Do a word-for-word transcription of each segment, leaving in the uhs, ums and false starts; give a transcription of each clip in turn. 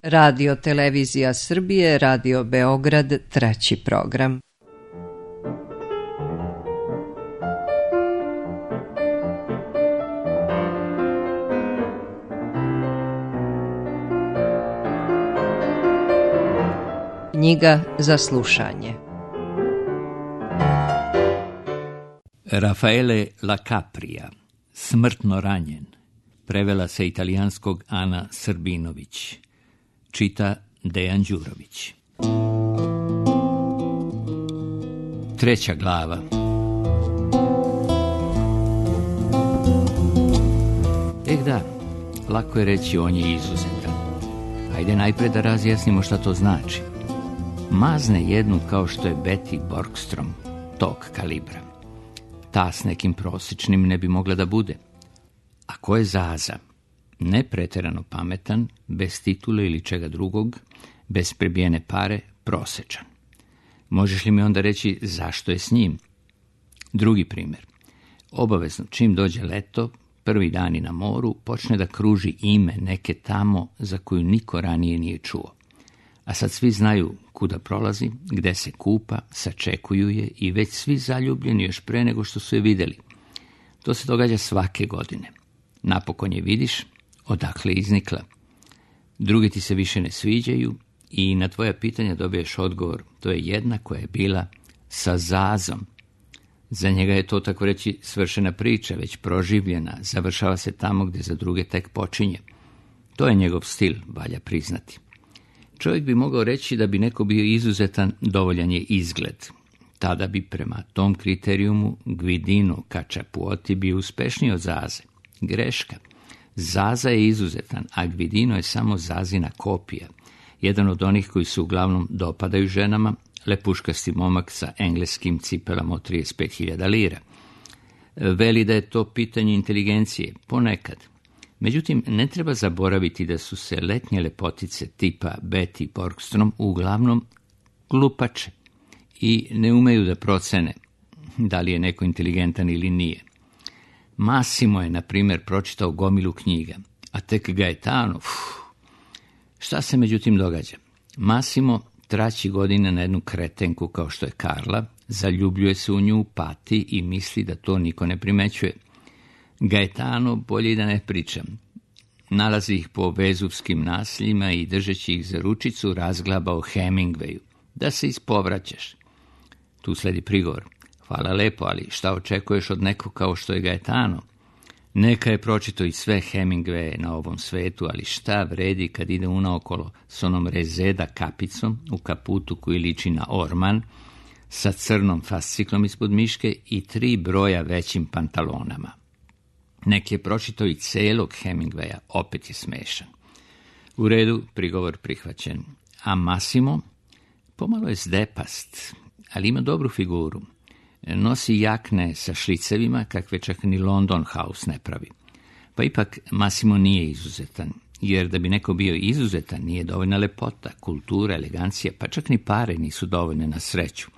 Radio Televizija Srbije, Radio Beograd, treći program. Knjiga za slušanje. Raffaele La Capria, Smrtno ranjen, prevela sa italijanskog Ana Srbinović, čita Dejan Đurović. Treća glava. Eh da, lako je reći on je izuzetan. Hajde najpre da razjasnimo šta to znači. Mazne jednu kao što je Betty Borgstrom, tog kalibra. Ta s nekim prosječnim ne bi mogla da bude. A ko je Zaza? Ne pretjerano pametan, bez titule ili čega drugog, bez prebijene pare, prosječan. Možeš li mi onda reći zašto je s njim? Drugi primjer. Obavezno, čim dođe leto, prvi dani na moru, počne da kruži ime neke tamo za koju niko ranije nije čuo. A sad svi znaju kuda prolazi, gde se kupa, sačekuju je i već svi zaljubljeni još pre nego što su je vidjeli. To se događa svake godine. Napokon je vidiš, odakle je iznikla. Drugi ti se više ne sviđaju i na tvoja pitanja dobiješ odgovor. To je jedna koja je bila sa Zazom. Za njega je to, tako reći, svršena priča, već proživljena, završava se tamo gdje za druge tek počinje. To je njegov stil, valja priznati. Čovjek bi mogao reći da bi neko bio izuzetan, dovoljan je izgled. Tada bi prema tom kriterijumu Guidino Cacciapuoti bio uspešniji od Zaze. Greška. Zaza je izuzetan, a Guidino je samo Zazina kopija. Jedan od onih koji se uglavnom dopadaju ženama, lepuškasti momak sa engleskim cipelama od trideset pet hiljada lira. Veli da je to pitanje inteligencije, ponekad. Međutim, ne treba zaboraviti da su se letnje lepotice tipa Betty Borgstrom uglavnom glupače i ne umeju da procene da li je neko inteligentan ili nije. Massimo je, na primjer, pročitao gomilu knjiga, a tek Gaetano, uf, šta se međutim događa? Massimo traći godine na jednu kretenku kao što je Karla, zaljubljuje se u nju, pati i misli da to niko ne primećuje. Gaetano, bolje i da ne pričam. Nalazi ih po vezuvskim nasljima i držeći ih za ručicu razglaba o Hemingwayu. Da se ispovraćaš. Tu sledi prigovor. Hvala lepo, ali šta očekuješ od nekog kao što je Gaetano? Neka je pročito i sve Hemingwaye na ovom svetu, ali šta vredi kad ide unaokolo s onom rezeda kapicom u kaputu koji liči na orman, sa crnom fasciklom ispod miške i tri broja većim pantalonama. Nek je pročitao i celog Hemingwaya, opet je smešan. U redu, prigovor prihvaćen. A Massimo? Pomalo je zdepast, ali ima dobru figuru. Nosi jakne sa šlicevima, kakve čak ni London House ne pravi. Pa ipak Massimo nije izuzetan, jer da bi neko bio izuzetan nije dovoljna lepota, kultura, elegancija, pa čak ni pare nisu dovoljne na sreću.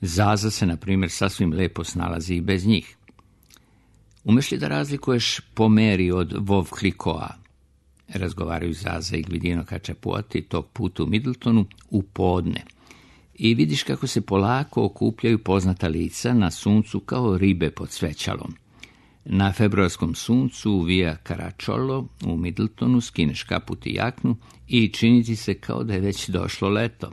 Zaza se, na primjer, sasvim lepo snalazi i bez njih. Umeš li da razlikuješ po meri od Veuve Clicquot? Razgovaraju Zaza i Guidino Cacciapuoti tog puta u Middletonu u podne. I vidiš kako se polako okupljaju poznata lica na suncu kao ribe pod svećalom. Na februarskom suncu u Via Caracciolo u Middletonu skineš kaput i jaknu i čini ti se kao da je već došlo leto.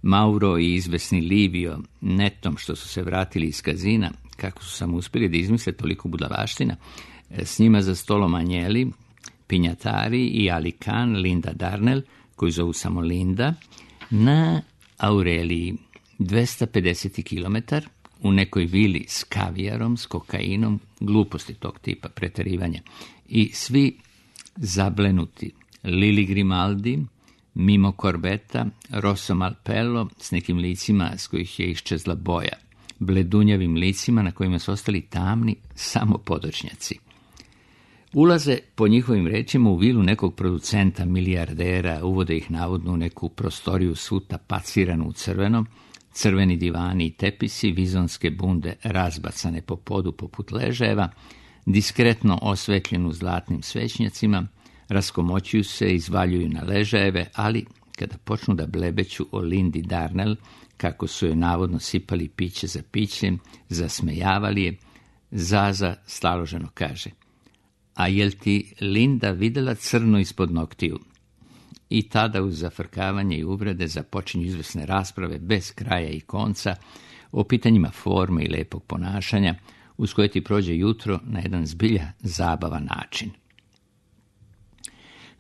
Mauro i izvesni Livio, netom što su se vratili iz kazina, kako su samo uspjeli da izmisle toliko budalaština, s njima za stolom Anjeli, Pinjatari i Ali Khan, Linda Darnell, koju zovu samo Linda, na Aureliji, dvesta pedeset kilometara, u nekoj vili s kavijarom, s kokainom, gluposti tog tipa, preterivanja. I svi zablenuti. Lili Grimaldi, Mimo Corbetta, Rosso Malpello, s nekim licima s kojih je iščezla boja. Bledunjavim licima na kojima su ostali tamni samo podočnjaci. Ulaze, po njihovim rečima, u vilu nekog producenta, milijardera, uvode ih navodno u neku prostoriju svu tapaciranu u crvenom, crveni divani i tepisi, vizonske bunde razbacane po podu poput ležajeva, diskretno osvetljenu zlatnim svećnjacima, Raskomoćuju se, izvaljuju na ležajeve, ali kada počnu da blebeću o Lindi Darnell, kako su joj navodno sipali piće za pićem, zasmejavali je, Zaza staloženo kaže: a jel ti Linda videla crno ispod noktiju? I tada uz zafrkavanje i uvrede započinju izvrsne rasprave bez kraja i konca o pitanjima forme i lepog ponašanja, uz koje ti prođe jutro na jedan zbilja zabavan način.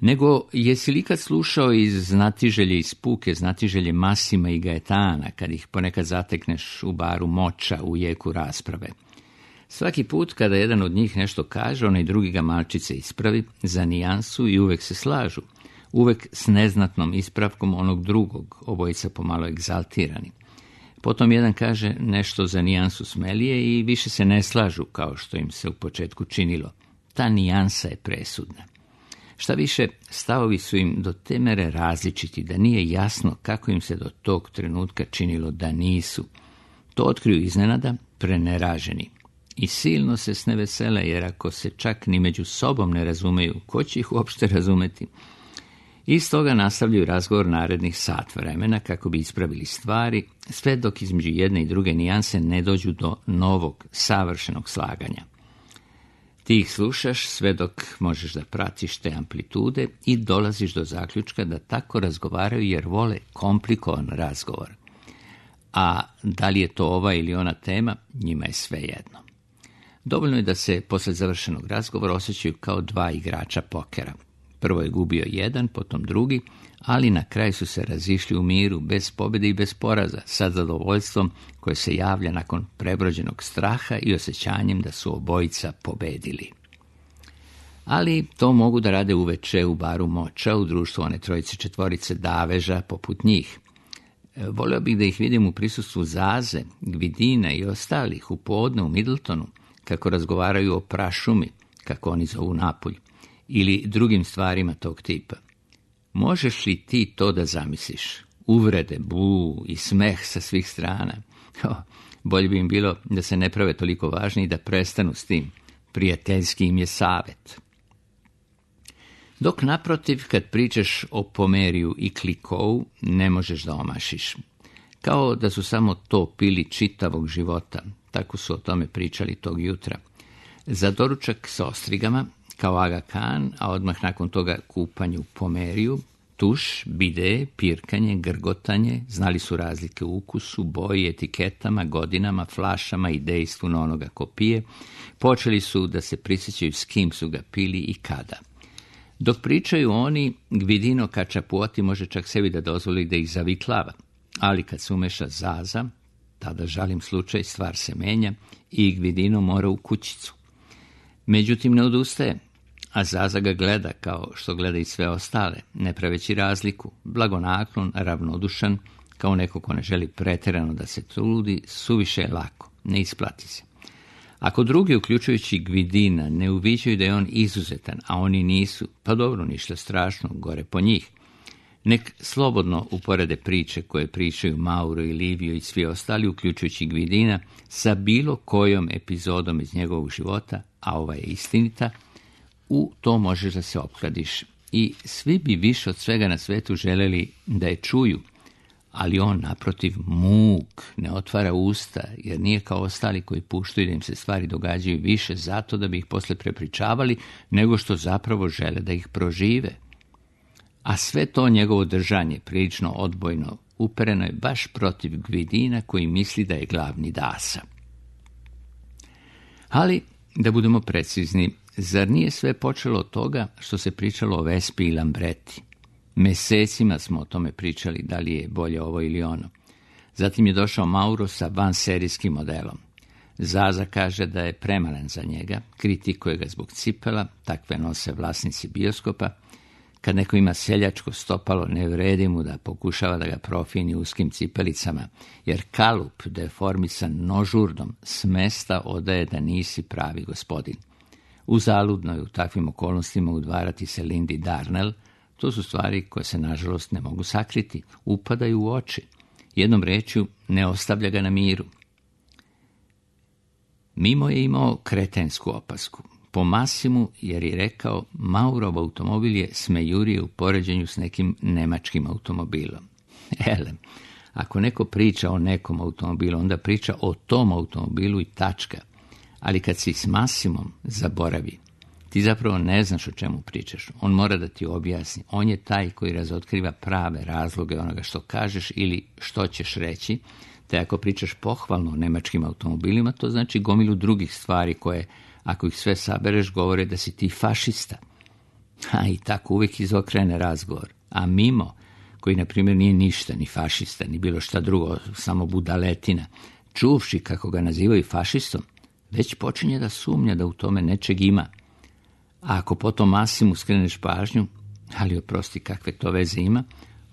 Nego, jesi li ikad slušao iz Znatiželje i Spuke, Znatiželje Masima i Gajetana, kad ih ponekad zatekneš u baru Moča u jeku rasprave? Svaki put kada jedan od njih nešto kaže, onaj drugi ga malčice ispravi za nijansu i uvek se slažu, uvek s neznatnom ispravkom onog drugog, obojica pomalo egzaltirani. Potom jedan kaže nešto za nijansu smelije i više se ne slažu kao što im se u početku činilo. Ta nijansa je presudna. Šta više, stavovi su im do te mere različiti da nije jasno kako im se do tog trenutka činilo da nisu. To otkriju iznenada, preneraženi. I silno se snevesele, jer ako se čak ni među sobom ne razumeju, ko će ih uopšte razumeti? Iz toga nastavljaju razgovor narednih sat vremena kako bi ispravili stvari, sve dok između jedne i druge nijanse ne dođu do novog, savršenog slaganja. Ti ih slušaš sve dok možeš da pratiš te amplitude i dolaziš do zaključka da tako razgovaraju jer vole komplikovan razgovor. A da li je to ova ili ona tema, njima je svejedno. Dovoljno je da se posle završenog razgovora osjećaju kao dva igrača pokera. Prvo je gubio jedan, potom drugi, ali na kraju su se razišli u miru, bez pobjede i bez poraza, sa zadovoljstvom koje se javlja nakon prebrođenog straha i osjećanjem da su obojica pobedili. Ali to mogu da rade uveče u baru Moča, u društvu one trojice četvorice daveža poput njih. Voleo bih da ih vidim u prisustvu Zaze, Gvidina i ostalih u podne u Middletonu, kako razgovaraju o prašumi, kako oni zovu Napulj, ili drugim stvarima tog tipa. Možeš li ti to da zamisliš? Uvrede, bu i smeh sa svih strana. O, bolje bi im bilo da se ne prave toliko važni i da prestanu s tim. Prijateljski im je savjet. Dok naprotiv, kad pričaš o Pomeriju i Klikovu, ne možeš da omašiš. Kao da su samo to pili čitavog života. Tako su o tome pričali tog jutra. Za doručak sa ostrigama, kao Aga Khan, a odmah nakon toga kupanju Pomeriju, tuš, bide, pirkanje, grgotanje, znali su razlike u ukusu, boji, etiketama, godinama, flašama i dejstvu na onoga ko pije, počeli su da se prisjećaju s kim su ga pili i kada. Dok pričaju oni, Gvidino Kačapuoti može čak sebi da dozvoli da ih zaviklava, ali kad se umeša Zaza, tada žalim slučaj, stvar se menja i Gvidino mora u kućicu. Međutim, ne odustaje, a Zaza ga gleda kao što gleda i sve ostale, ne praveći razliku, blagonaklon, ravnodušan, kao neko ko ne želi pretjerano da se trudi, suviše je lako, ne isplati se. Ako drugi, uključujući Gvidina, ne uviđaju da je on izuzetan, a oni nisu, pa dobro, ništa strašno, gore po njih. Nek slobodno uporede priče koje pričaju Mauro i Livio i svi ostali, uključujući Gvidina, sa bilo kojom epizodom iz njegovog života, a ova je istinita, u to možeš da se opkladiš. I svi bi više od svega na svetu želeli da je čuju, ali on, naprotiv, muk, ne otvara usta, jer nije kao ostali koji puštaju da im se stvari događaju više zato da bi ih posle prepričavali, nego što zapravo žele da ih prožive. A sve to njegovo držanje, prilično odbojno, upereno je baš protiv Gvidina koji misli da je glavni dasa. Ali, da budemo precizni, zar nije sve počelo od toga što se pričalo o Vespi i Lambreti? Mesecima smo o tome pričali, da li je bolje ovo ili ono. Zatim je došao Mauro sa vanserijskim modelom. Zaza kaže da je premalen za njega, kritikuje ga zbog cipela, takve nose vlasnici bioskopa. Kad neko ima seljačko stopalo, ne vredi mu da pokušava da ga profini uskim cipelicama, jer kalup, deformisan nožurdom, s mesta odaje da nisi pravi gospodin. Uzaludno je u takvim okolnostima udvarati se Lindi Darnell. To su stvari koje se, nažalost, ne mogu sakriti, upadaju u oči. Jednom rečju, ne ostavlja ga na miru. Mimo je imao kretensku opasku. po Massimu jer je rekao Maurov automobil je smejurije u poređenju s nekim nemačkim automobilom. Ele, ako neko priča o nekom automobilu, onda priča o tom automobilu i tačka. Ali kad si s Massimom, zaboravi. Ti zapravo ne znaš o čemu pričaš. On mora da ti objasni. On je taj koji razotkriva prave razloge onoga što kažeš ili što ćeš reći. Te ako pričaš pohvalno o nemačkim automobilima, to znači gomilu drugih stvari koje, ako ih sve sabereš, govore da si ti fašista. A i tako uvijek izokrene razgovor. A mimo, koji na primjer nije ništa, ni fašista, ni bilo šta drugo, samo budaletina, čuvši kako ga nazivaju fašistom, već počinje da sumnja da u tome nečeg ima. A ako potom Massimu skreneš pažnju, ali oprosti kakve to veze ima,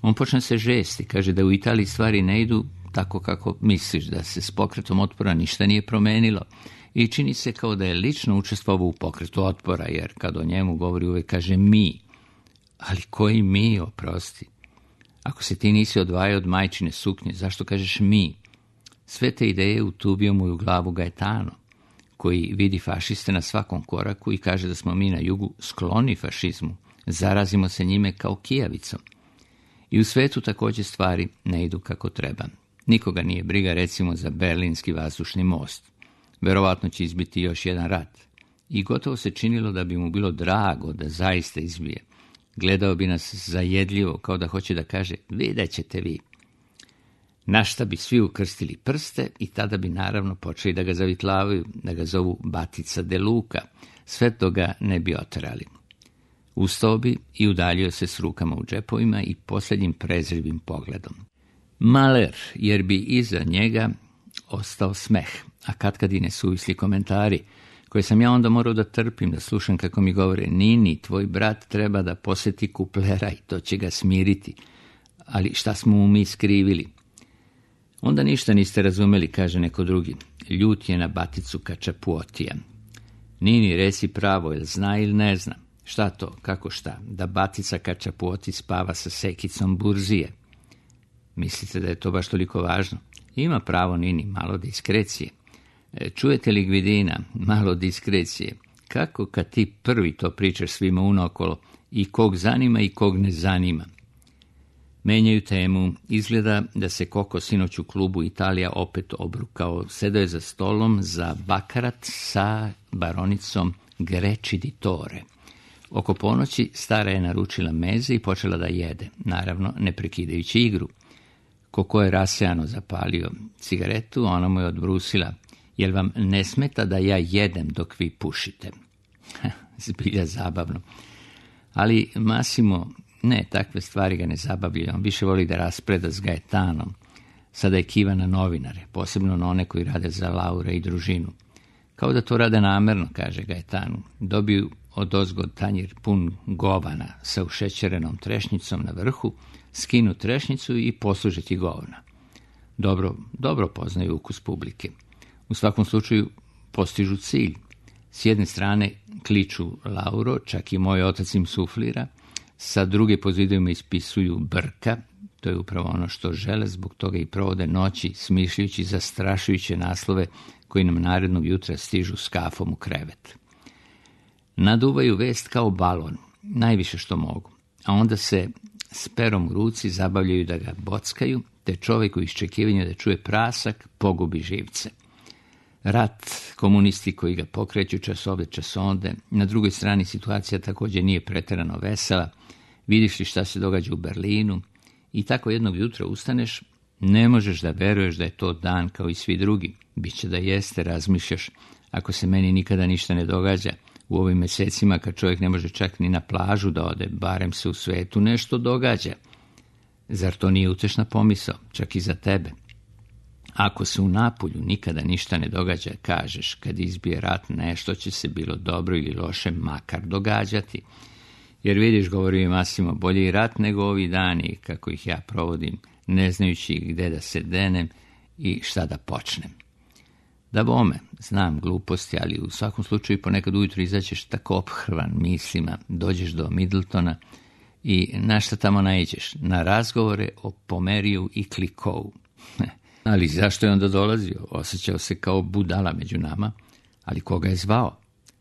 on počne se žesti, kaže da u Italiji stvari ne idu tako kako misliš, da se s pokretom otpora ništa nije promenilo i čini se kao da je lično učestvovao u pokretu otpora, jer kad o njemu govori uvijek kaže mi. Ali koji mi, oprosti? Ako se ti nisi odvajao od majčine suknje, zašto kažeš mi? Sve te ideje utubio mu u glavu Gaetano, koji vidi fašiste na svakom koraku i kaže da smo mi na jugu skloni fašizmu, zarazimo se njime kao kijavicom. I u svetu također stvari ne idu kako treba. Nikoga nije briga recimo za Berlinski vazdušni most. Verovatno će izbiti još jedan rat. I gotovo se činilo da bi mu bilo drago da zaista izbije. Gledao bi nas zajedljivo, kao da hoće da kaže, vidjet ćete vi. Na šta bi svi ukrstili prste i tada bi naravno počeli da ga zavitlavaju, da ga zovu Batica de Luca, sve to ga ne bi oterali. Ustao bi i udaljio se s rukama u džepovima i posljednjim prezirivim pogledom. Maler, jer bi iza njega ostao smeh, a katkad i nesuvisli komentari, koje sam ja onda morao da trpim, da slušam kako mi govore, Nini, tvoj brat treba da posjeti Kuplera i to će ga smiriti, ali šta smo mu mi skrivili? Onda ništa niste razumeli, kaže neko drugi. Ljut je na Baticu Kačapuotija. Nini, reci pravo, jel zna ili ne zna? Šta to, kako šta? Da Batica Kačapuoti spava sa sekicom burzije. Mislite da je to baš toliko važno? Ima pravo, Nini, malo diskrecije. Čujete li, Gvidina, malo diskrecije? Kako kad ti prvi to pričaš svima unaokolo i kog zanima i kog ne zanima? Menjaju temu. Izgleda da se Koko sinoć u klubu Italija opet obrukao. Sedao je za stolom za bakarat sa baronicom Greci di Tore. Oko ponoći stara je naručila meze i počela da jede, naravno ne prekidajući igru. Koko je rasejano zapalio cigaretu, ona mu je odbrusila. Jel vam ne smeta da ja jedem dok vi pušite? Zbilja zabavno. Ali Massimo, ne, takve stvari ga ne zabavljaju. On više voli da raspreda s Gaetanom. Sada je kiva na novinare, posebno na one koji rade za Laura i družinu. Kao da to rade namerno, kaže Gaetanu. Dobiju odozgo tanjir pun govana sa ušećerenom trešnjicom na vrhu, skinu trešnjicu i posluže ti govna. Dobro, dobro poznaju ukus publike. U svakom slučaju postižu cilj. S jedne strane kliču Lauro, čak i moj otac im suflira, sa druge po zidovima ispisuju brka, to je upravo ono što žele, zbog toga i provode noći smišljujući zastrašujuće naslove koji nam narednog jutra stižu s kafom u krevet. Naduvaju vest kao balon, najviše što mogu, a onda se s perom u ruci zabavljaju da ga bockaju, te čovjek u iščekivanju da čuje prasak pogubi živce. Rat, komunisti koji ga pokreću časove časonde, na drugoj strani situacija također nije pretjerano vesela, vidiš li šta se događa u Berlinu i tako jednog jutra ustaneš, ne možeš da veruješ da je to dan kao i svi drugi. Biće da jeste, razmišljaš, ako se meni nikada ništa ne događa, u ovim mjesecima kad čovjek ne može čak ni na plažu da ode, barem se u svetu nešto događa. Zar to nije utešna pomisao, čak i za tebe? Ako se u Napulju nikada ništa ne događa, kažeš, kad izbije rat, nešto će se bilo dobro ili loše makar događati. Jer vidiš, govori Massimo, bolje i rat nego ovi dani, kako ih ja provodim, ne znajući gde da se denem i šta da počnem. Da bome, znam gluposti, ali u svakom slučaju ponekad ujutro izaćeš tako ophrvan mislima, dođeš do Middletona i na šta tamo naiđeš? Na razgovore o Pomeriju i Klikovu. Ali zašto je onda dolazio? Osjećao se kao budala među nama, ali koga je zvao?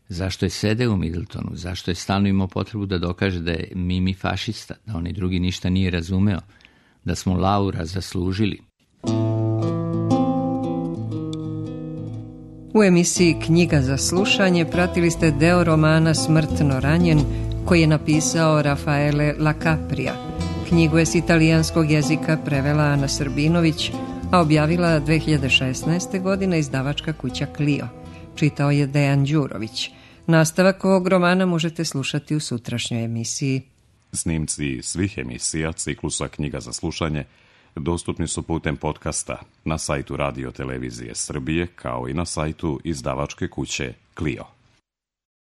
Zašto je sedeo u Middletonu? Zašto je stalno imao potrebu da dokaže da je Mimi fašista, da onaj drugi ništa nije razumeo, da smo Laura zaslužili? U emisiji Knjiga za slušanje pratili ste deo romana Smrtno ranjen, koji je napisao Rafaele Lacaprija. Knjigu je s italijanskog jezika prevela Ana Srbinović, a objavila dve hiljade šesnaeste. godine izdavačka kuća Clio. Čitao je Dejan Đurović. Nastavak ovog romana možete slušati u sutrašnjoj emisiji. Snimci svih emisija ciklusa Knjiga za slušanje dostupni su putem podcasta na sajtu Radio Televizije Srbije, kao i na sajtu izdavačke kuće Clio.